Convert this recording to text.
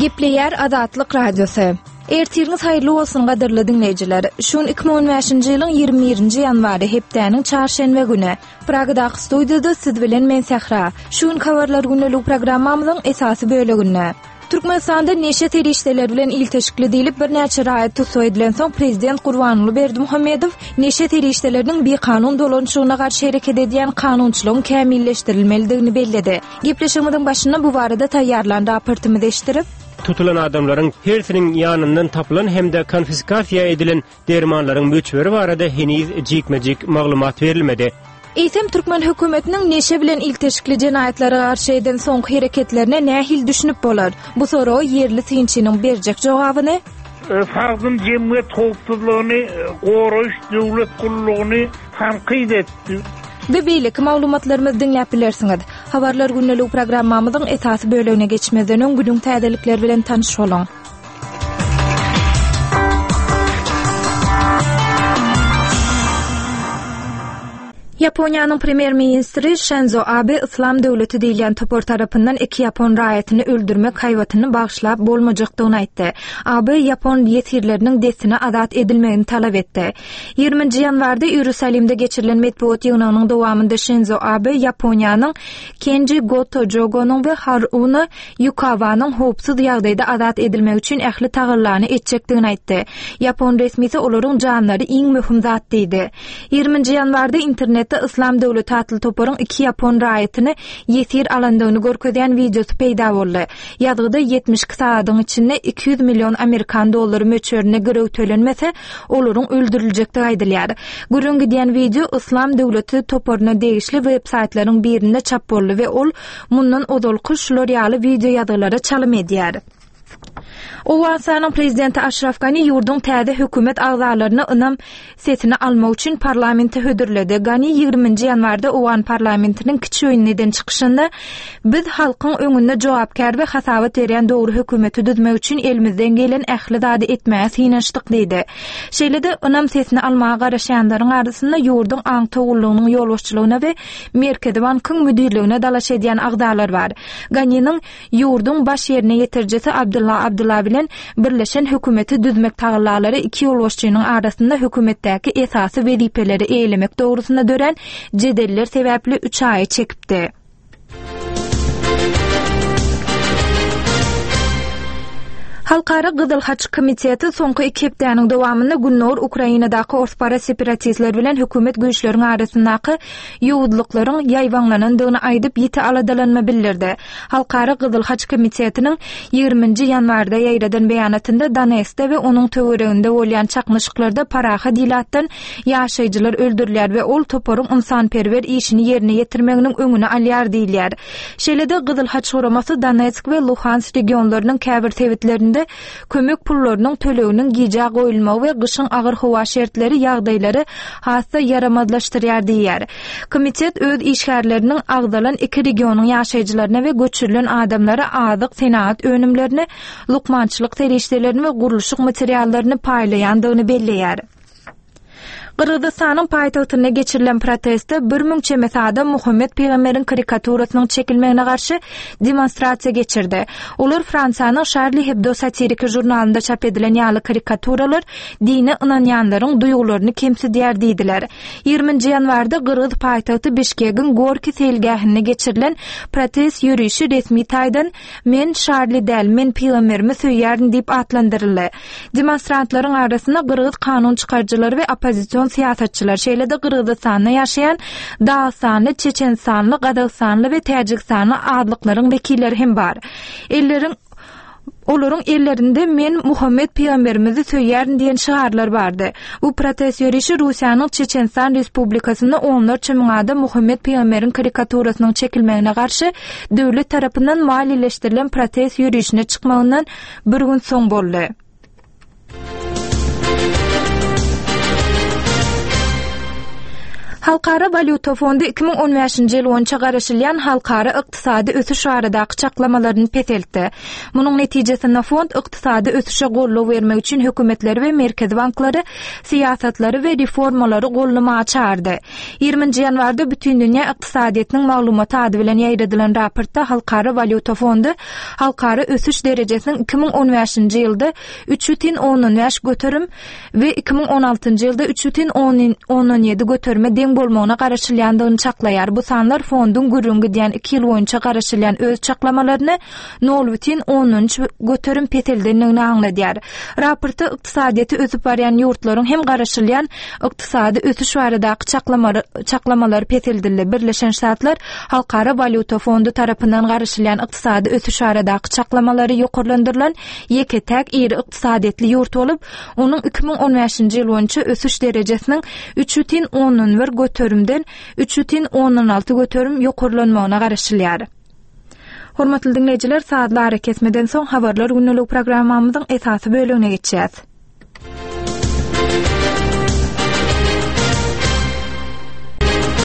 Gepleýär Azatlyk Radiosy. Ertiriňiz haýyrly bolsun gadyrly diňleýjiler. Şu gün 2015-nji ýylyň 21-nji ýanwary hepdäniň çarşenbe güni. Pragadaky studiýada siz bilen men Sähra. Şu gün habarlar gündelik programmamyzyň esasy böleginde. Türkmenistanda neşe serişdeleri bilen ilteşikli diýlip birnäçe raýat tussag edilensoň prezident Gurbanguly Berdimuhamedow neşe serişdeleriniň bikanun dolanyşygyna garşy hereket edýän kanunçylygyň kämilleşdirilmelidigini belledi. Gepleşigimiziň başynda bu barada taýýarlan raportymyzy eşitdirip, Tutulan adamlaryň hersiniň ýanyndan tapylan hem-de konfiskasiýa edilen dermanlaryň möçberi barada heniz jikme-jik maglumat berilmedi. Eýsem, türkmen hökümetiniň neşe bilen ilteşikli jenaýatlara garşy eden soňky hereketlerine nähili düşünip bolar? Bu soraga ýerli synçynyň berjek jogabyny. Sagdyn jemgyýet howpsuzlygyny goraýyş döwlet gullugyny tankyt etdi. We beýleki maglumatlarymyzy diňläp bilersiňiz. Habarlar gündeligi programmamyzyň esasy bölegine geçmezden öň günüň täzelikleri bilen tanyş boluň. Ýaponiýanyň premýer-ministri Şenzo Abe Yslam döwleti diýilýän topar tarapyndan iki ýapon raýatyny öldürmek haýbatyny bagyşlap bolmajakdygyny aýtdy. Abe ýapon ýesirleriniň dessine azat edilmegini talap etdi. Ýigriminji ýanwarda Iýerusalimde geçirilen metbugat ýygnagynyň dowamynda Şenzo Abe Ýaponiýanyň Kenji Goto Jogonyň we Haruna Ýukawanyň howpsuz ýagdaýda azat edilmegi üçin ähli tagallany etjekdigini aýtdy. Ýapon resmisi olaryň janlary iň möhüm zat diýdi. Ýigriminji ýanwarda internetde Yslam döwleti atly toparyň iki ýapon raýatyny ýesir alandygyny görkezýän wideosy peýda boldy. Ýazgyda 72 sagadyň içinde 200 million amerikan dollary möçberinde girew tölenmese, olaryň öldüriljekdigi aýdylýar. Gürrüň gidýän wideo Yslam döwleti toparyna degişli web-saýtlaryň birinde çap boldy we ol mundan ozalky şular ýaly wideoýazgylara çalym edýär. Owganystanyň prezidenti Aşraf Gani ýurduň täze hökümet agzalaryna ynam sesini almak üçin parlamente hödürledi. Gani ýigriminji ýanwarda owgan parlamentiniň kiçi öýünde eden çykyşynda, Biz halkyň öňünde jogapkär we hasabat berýän dogry hökümeti düzmek üçin elimizden gelen ähli zady etmäge synanyşdyk diýdi. Şeýle-de, ynam sesini almaga garaşýanlaryň arasynda ýurduň aňtaw gullugynyň ýolbaşçylygyna we Merkezi bankyň müdirligine dalaş edýän agzalar bar. Ganiniň ýurduň baş ýerine ýetirijisi Abdulla Abdulla bilen birleşen hökümeti düzmek tagallalary iki ýolbaşçynyň arasynda hökümetdäki esasy wezipeleri eýelemek dogrusynda dörän jedeller sebäpli üç aýa çekipdi. Halkara Gyzyl Haç Komiteti soňky iki hepdäniň dowamynda Gündogar Ukrainadaky orsparaz separatistler bilen hökümet güýçleriň arasyndaky ýowuzlyklaryň ýaýbaňlanandygyny aýdyp, ýiti aladalanma bildirdi. Halkara Gyzyl Haç Komitetiniň ýigriminji ýanwarda ýaýradan beýanatynda Donetskde we onuň töwereginde bolýan çaknyşyklarda parahat ilatdan ýaşaýjylar öldürilýär we ol toparyň ynsanperwer işini ýerine ýetirmeginiň öňüni alýar diýilýär. Şeýle-de Gyzyl Haç guramasy Donetsk we Luhansk regionlarynyň käbir sebitlerinde kömek pullarynyň töleginiň gijä goýulmagy we gyşyň agyr howa şertleri ýagdaýlary has-da ýaramazlaşdyrýar diýýär. Komitet öz işgärleriniň agzalan iki regionyň ýaşaýjylaryna we göçürilen adamlara azyk, senagat önümlerini, lukmançylyk serişdelerini we gurluşyk materiallaryny paýlaýandygyny belleýär. Gyrgyzystanyň paýtagtynda geçirilen protestde 1000 çemesi adam Muhammet pygamberiň karikaturasynyň çekilmegine garşy demonstrasiýa geçirdi. Olar Fransiýanyň Şarli Hebdo satiriki žurnalynda çap edilen ýaly karikaturalar dine ynanýanlaryň duýgularyny kemsidýär diýdiler. Ýigriminji ýanwarda gyrgyz paýtagty Bişkegiň Gorki seýilgähinde geçirilen protest ýörişi resmi taýdan Men Şarli däl, men pygamberimi söýýärin diýip atlandyryldy. Demonstrantlaryň arasynda gyrgyz kanun çykaryjylary we oppozision syýasatçylar, şeýle-de Gyrgyzystanda ýaşaýan dagystanly, çeçenistanly, gazagystanly we täjigistanly azlyklaryň wekilleri hem bar. Elleriň Olaryň ellerinde Men Muhammet pygamberimizi söýýärin diýen şygarlar bardy. Bu protest ýörişi Russiýanyň Çeçenistan Respublikasynda onlarça müň adam Muhammet pygamberiň karikaturasynyň çekilmegine garşy döwlet tarapyndan maliýeleşdirilen protest ýörişine çykmagyndan bir gün soň boldy. Halkara walýuta fondy 2015-nji ýyl boýunça garaşylýan halkara ykdysady ösüş baradaky çaklamalaryny peseltdi. Munuň netijesinde fond ykdysady ösüşe goldaw bermek üçin hökümetleri we merkezi banklary syýasatlary we reformalary goldamaga çagyrdy. Ýigriminji ýanwarda Bütindünýä ykdysadyýetiniň maglumaty ady bilen ýaýradylan raportda Halkara walýuta fondy halkara ösüş derejesiniň 2015-nji ýylda 3,5 göterim we 2016-njy ýylda 3,7 göterime deň bolmagyna garaşylýandygyny çaklaýar. Bu sanlar fonduň gürrüň gidýän iki ýyl boýunça garaşylýan öz çaklamalaryny 0,3 göterim peseldendigini aňladýar. Raportda ykdysadyýeti ösüp barýan ýurtlaryň hem garaşylýan ykdysady ösüş baradaky çaklamalary peseldildi. Birleşen Ştatlar Halkara walýuta fondy tarapyndan garaşylýan ykdysady ösüş baradaky çaklamalary ýokarlandyrylan ýeke-täk iri ykdysadyýetli ýurt bolup, onuň 2015-nji ýyl boýunça ösüş derejesiniň 3,1 göterimden 3,6 göterim ýokarlanmagyna garaşylýar. Hormatly diňleýjiler, sazly arakesmeden soň Habarlar gündelik programmamyzyň esasy bölegine geçýäs.